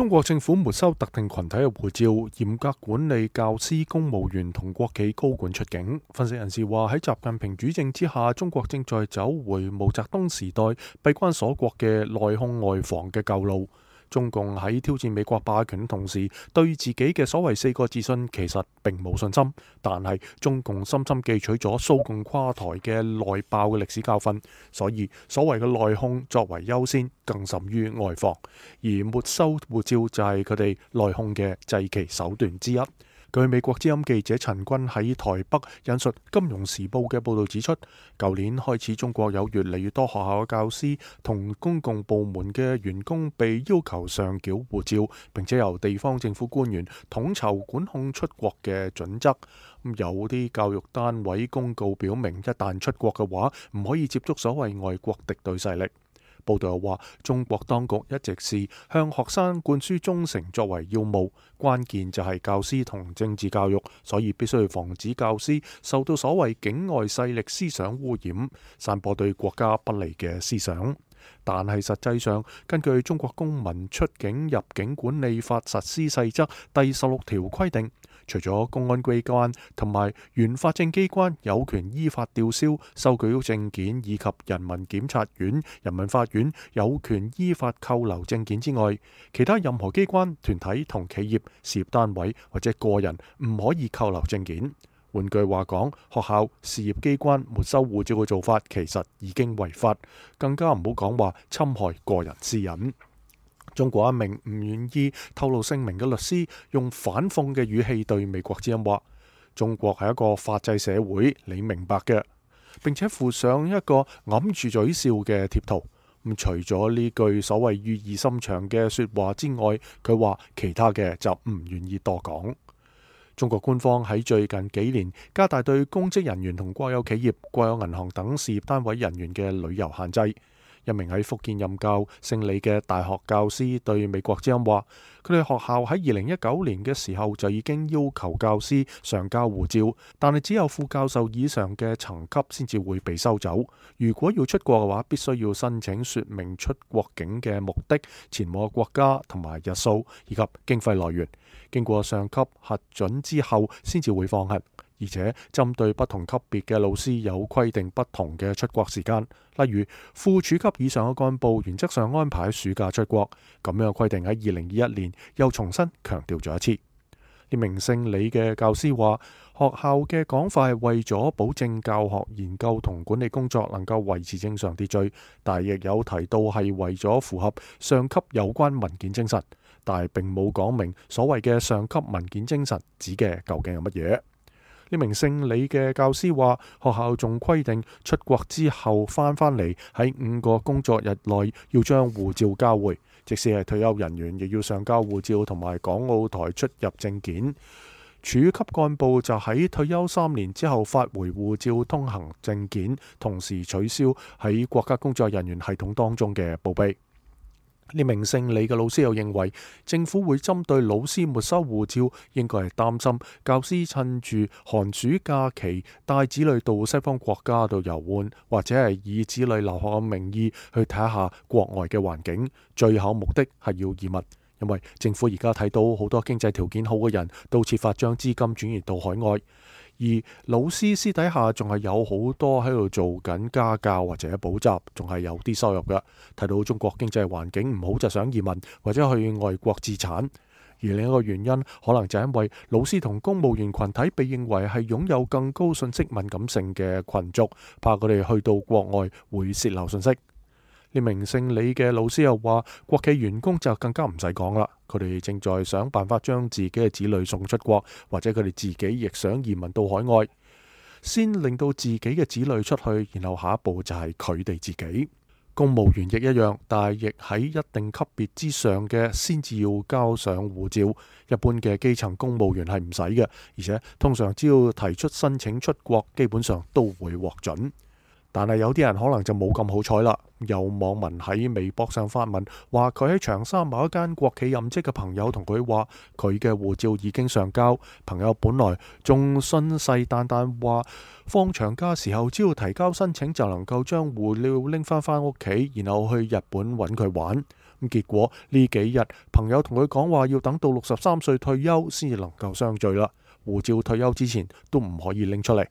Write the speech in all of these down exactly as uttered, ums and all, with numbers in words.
中國政府沒收特定群體嘅護照，嚴格管理教師、公務員同國企高管出境。分析人士話，喺習近平主政之下，中國正在走回毛澤東時代閉關鎖國嘅內控外防嘅舊路。中共喺挑戰美國霸權同時，對自己嘅所謂四個自信其實並冇信心。但係中共深深記取咗蘇共垮台嘅內爆嘅歷史教訓，所以所謂嘅內控作為優先，更甚於外防。而沒收護照就係佢哋內控嘅祭旗手段之一。據美國之音記者陳軍喺台北引述《金融時報》嘅報導指出，舊年開始中國有越嚟越多學校嘅教師同公共部門嘅員工被要求上繳護照，並且由地方政府官員統籌管控出國嘅準則。有啲教育單位公告表明，一旦出國嘅話，唔可以接觸所謂外國敵對勢力。報道又話，中國當局一直視向學生灌輸忠誠作為要務，關鍵就係教師同政治教育，所以必須要防止教師受到所謂境外勢力思想污染，散播對國家不利嘅思想。但係實際上，根據中國公民出境入境管理法實施細則第十六條規定，除咗公安機關同埋原法政機關有權依法吊銷、收據證件，以及人民檢察院、人民法院有權依法扣留證件之外，其他任何機關、團體同企業、事業單位或者個人唔可以扣留證件。換句話講，學校、事業機關沒收護照嘅做法其實已經違法，更加唔好講話侵害個人私隱。中國一名唔願意透露姓名嘅律師用反諷嘅語氣對美國之音話：中國係一個法制社會，你明白嘅。並且附上一個揞住嘴笑嘅貼圖。咁除咗呢句所謂寓意深長嘅說話之外，佢話其他嘅就唔願意多講。中國官方喺最近幾年加大對公職人員同國有企業、國有銀行等事業單位人員嘅旅遊限制。一名喺福建任教姓李嘅大學教師對美國之音話：佢哋學校喺二零一九年嘅時候就已經要求教師上交護照，但係只有副教授以上嘅層級先至會被收走。如果要出國嘅話，必須要申請說明出國境嘅目的、前往國家同埋日數以及經費來源，經過上級核准之後先至會放行。而且針對不同級別嘅老師有規定不同嘅出國時間，例如副處級以上嘅幹部原則上安排暑假出國，咁樣嘅規定喺二零二一年又重新強調咗一次。呢名姓李嘅教師話，學校嘅講法係為咗保證教學、研究同管理工作能夠維持正常秩序，但亦有提到係為咗符合上級有關文件精神，但係並冇講明所謂嘅上級文件精神指嘅究竟係乜嘢。呢名姓李嘅教師話，學校仲規定出國之後翻返嚟喺五個工作日內要將護照交回，即使係退休人員亦要上交護照同埋港澳台出入證件。處級幹部就喺退休三年之後發回護照通行證件，同時取消喺國家工作人員系統當中嘅報備。呢名姓李嘅老師又認為，政府會針對老師沒收護照，應該係擔心教師趁住寒暑假期帶子女到西方國家度遊玩，或者係以子女留學嘅名義去睇下國外嘅環境，最後目的係要移民。因為政府而家睇到好多經濟條件好嘅人都設法將資金轉移到海外，而老師私底下仲係有好多喺度做緊家教或者補習，仲係有啲收入嘅。睇到中國經濟環境唔好就想移民或者去外國自產，而另一個原因可能就因為老師同公務員群體被認為係擁有更高信息敏感性嘅群族，怕佢哋去到國外會洩漏信息。呢名姓李嘅老師又話，國企員工就更加唔使講啦，佢哋正在想辦法將自己嘅子女送出國，或者佢哋自己亦想移民到海外，先令到自己嘅子女出去，然後下一步就係佢哋自己。公務員亦一樣，但係亦喺一定級別之上嘅先至要交上護照，一般嘅基層公務員係唔使嘅，而且通常只要提出申請出國，基本上都會獲准。但係有啲人可能就冇咁好彩啦。有網民喺微博上發文，話佢喺長沙某一間國企任職嘅朋友同佢話，佢嘅護照已經上交。朋友本來仲信誓旦旦話，放長假時候只要提交申請就能夠將護照拎翻返屋企，然後去日本揾佢玩。咁結果呢幾日朋友同佢講話要等到六十三歲退休先至能夠相聚啦，護照退休之前都唔可以拎出嚟。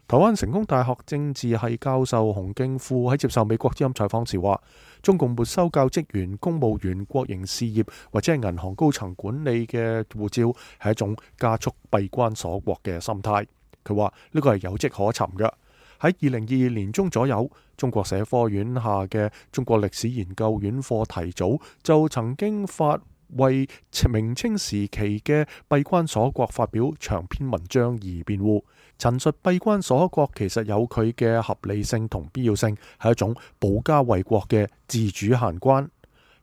台灣成功大學政治系教授洪敬富喺接受美國之音採訪時話，中共沒收教職員、公務員、國營事業或者係銀行高層管理嘅護照係一種加速閉關鎖國嘅心態。佢話呢個係有跡可尋嘅。喺二零二二年中左右，中國社科院下嘅中國歷史研究院課題組就曾經發為明清時期嘅閉關鎖國發表長篇文章而辯護，陳述閉關鎖國其實有佢嘅合理性同必要性，係一種保家衛國嘅自主限關。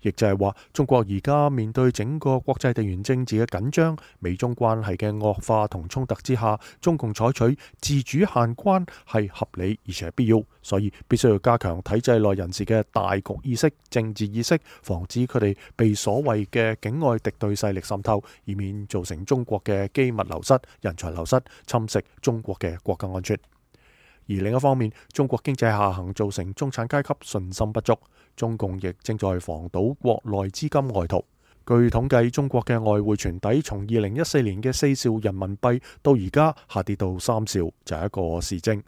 亦就係話，中國而家面對整個國際地緣政治嘅緊張、美中關係嘅惡化同衝突之下，中共採取自主限關係合理而且必要，所以必須要加強體制內人士嘅大局意識、政治意識，防止佢哋被所謂嘅境外敵對勢力滲透，以免造成中國嘅機密流失、人才流失，侵蝕中國嘅國家安全。而另一方面，中國經濟下行造成中產階級信心不足，中共亦正在防堵國內資金外逃。據統計，中國嘅外匯存底從二零一四年嘅四兆人民幣到而家下跌到三兆，就係一個示證。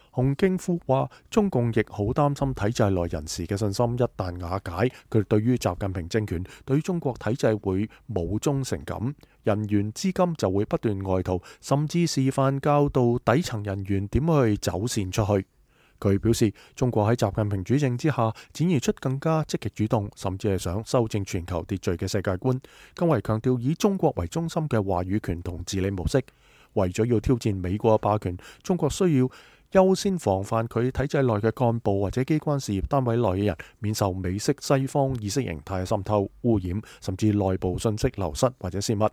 洪敬富話，中共亦好擔心體制內人士嘅信心一旦瓦解，佢哋對於習近平政權、對於中國體制會冇忠誠感，人員資金就會不斷外逃，甚至示範教導底層人員點去走線出去。佢表示，中國喺習近平主政之下，展現出更加積極主動，甚至係想修正全球秩序嘅世界觀，更為強調以中國為中心嘅話語權同治理模式。為咗要挑戰美國嘅霸權，中國需要優先防範佢體制內嘅幹部或者機關事業單位內嘅人免受美式西方意識形態嘅滲透、污染，甚至內部信息流失或者泄密。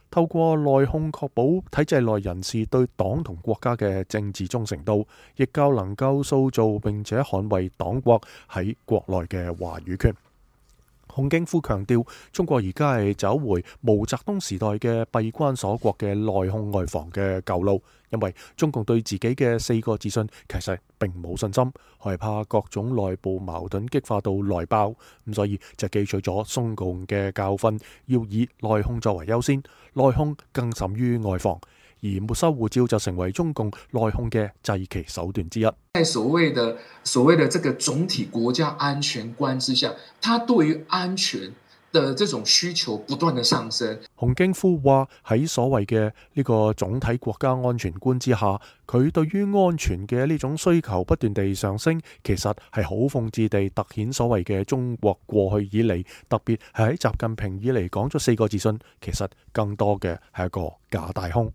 透過內控確保體制內人士對黨同國家嘅政治忠誠度，亦較能夠塑造並且捍衛黨國喺國內嘅話語權。洪敬富強調，中國而家係走回毛澤東時代嘅閉關鎖國嘅內控外防嘅舊路，因為中共對自己嘅四個自信其實並冇信心，害怕各種內部矛盾激化到內爆，咁所以就記取咗中共嘅教訓，要以內控作為優先，內控更甚於外防。而沒收護照就成為中共內控嘅祭旗手段之一。在所謂的所謂的這個總體國家安全觀之下，他對於安全的這種需求不斷的上升。洪敬富話喺所謂嘅呢個總體國家安全觀之下，佢對於安全嘅呢種需求不斷地上升，其實係好諷刺地凸顯所謂嘅中國過去以嚟，特別係喺習近平以嚟講咗四個自信，其實更多嘅係一個假大空。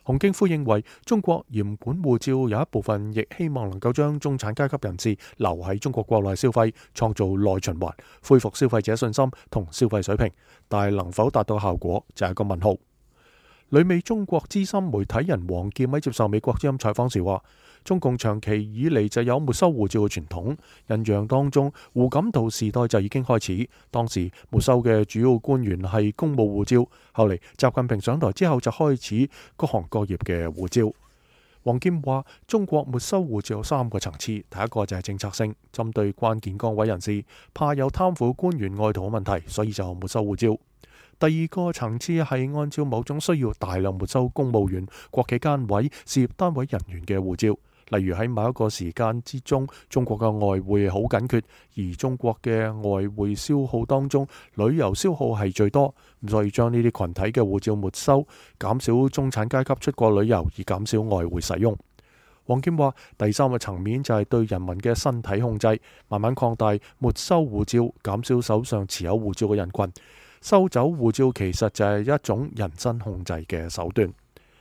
洪敬富認為，中國嚴管護照有一部分亦希望能夠將中產階級人士留喺中國國內消費，創造內循環，恢復消費者信心同消費水平，但係能否達到效果就係一個問號。旅美中國資深媒體人王劍喺接受美國之音採訪時話，中共長期以嚟就有沒收護照嘅傳統，印象當中胡錦濤時代就已經開始，當時沒收嘅主要官員係公務護照，後嚟習近平上台之後就開始各行各業嘅護照。王劍話，中國沒收護照有三個層次，第一個就係政策性，針對關鍵崗位人士，怕有貪腐官員外逃嘅問題，所以就沒收護照。第二個層次係按照某種需要大量沒收公務員、國企單位、事業單位人員嘅護照，例如喺某一個時間之中，中國嘅外匯好緊缺，而中國嘅外匯消耗當中，旅遊消耗係最多，所以將呢啲群體嘅護照沒收，減少中產階級出國旅遊，以減少外匯使用。王劍話，第三個層面就係對人民嘅身體控制，慢慢擴大沒收護照，減少手上持有護照嘅人群。收走護照其實就係一種人身控制嘅手段。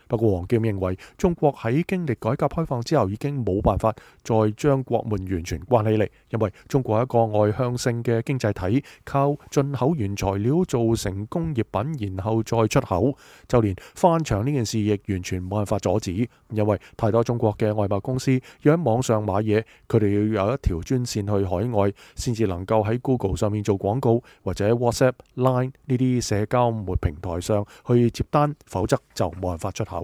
不過王劍認為，中國喺經歷改革開放之後已經冇辦法再將國門完全關起嚟，因為中國係一個外向性嘅經濟體，靠進口原材料做成工業品，然後再出口。就連翻牆呢件事亦完全冇辦法阻止，因為太多中國嘅外貿公司要喺網上買嘢，佢哋要有一條專線去海外，先至能夠喺 Google 上面做廣告，或者 WhatsApp、Line 呢啲社交媒平台上去接單，否則就冇辦法出口。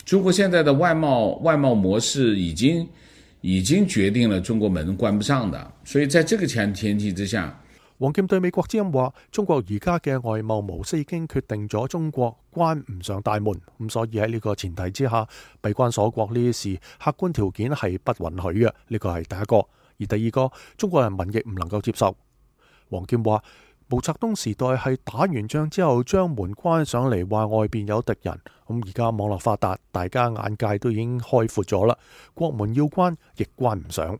中國現在的外貿外貿模式已經已經決定了中國門關不上的，所以在這個前前提之下，王劍對美國之音話：中國而家嘅外貿模式已經決定咗中國關唔上大門，咁所以喺呢個前提之下，閉關鎖國呢啲事客觀條件係不允許嘅。呢個係第一個，而第二個，中國人民亦唔能夠接受。王劍話：毛澤東時代係打完仗之後將門關上嚟，話外邊有敵人。咁而家網絡發達，大家眼界都已經開闊咗啦，國門要關亦關唔上。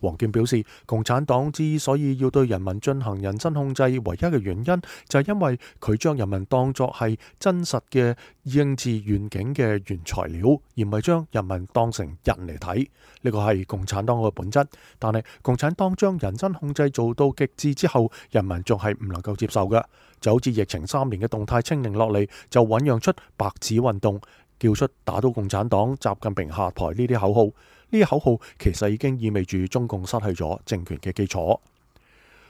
王劍表示，共產黨之所以要對人民進行人身控制，唯一嘅原因就係因為佢將人民當作係真實嘅政治願景嘅原材料，而唔係將人民當成人嚟睇。呢個係共產黨嘅本質。但係共產黨將人身控制做到極致之後，人民仲係唔能夠接受嘅。就好似疫情三年嘅動態清零落嚟，就醞釀出白紙運動，叫出打倒共產黨、習近平下台呢啲口號。呢啲口號其實已經意味住中共失去咗政權嘅基礎。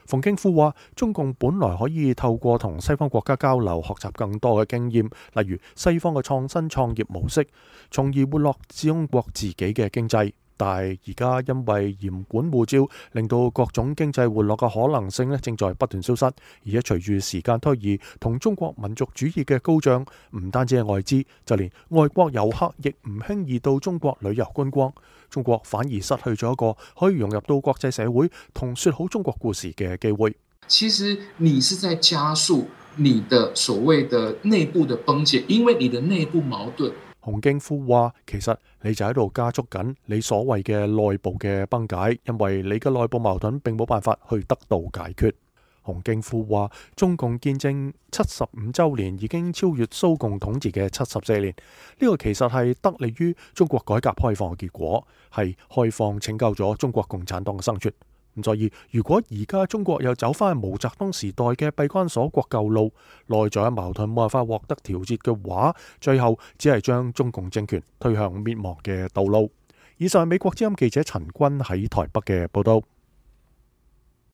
馮敬富話：中共本來可以透過同西方國家交流，學習更多嘅經驗，例如西方嘅創新創業模式，從而活絡中國自己嘅經濟。但係而家因為嚴管護照，令到各種經濟活絡嘅可能性咧正在不斷消失。而且隨住時間推移，同中國民族主義嘅高漲，唔單止係外資，就連外國遊客亦唔輕易到中國旅遊觀光。中國反而失去咗一個可以融入到國際社會同說好中國故事嘅機會。其實你是在加速你的所謂的內部的崩解，因為你的內部矛盾。洪敬富話：其實你就喺度加速緊你所謂嘅內部嘅崩解，因為你嘅內部矛盾並冇辦法去得到解決。洪敬富話：中共建政七十五週年已經超越蘇共統治嘅七十四年，呢個其實係得利於中國改革開放嘅結果，係開放拯救咗中國共產黨嘅生存。咁所以，如果而家中國又走翻毛澤東時代嘅閉關鎖國舊路，內在矛盾冇辦法獲得調節嘅話，最後只係將中共政權推向滅亡嘅道路。以上係美國之音記者陳君喺台北嘅報道。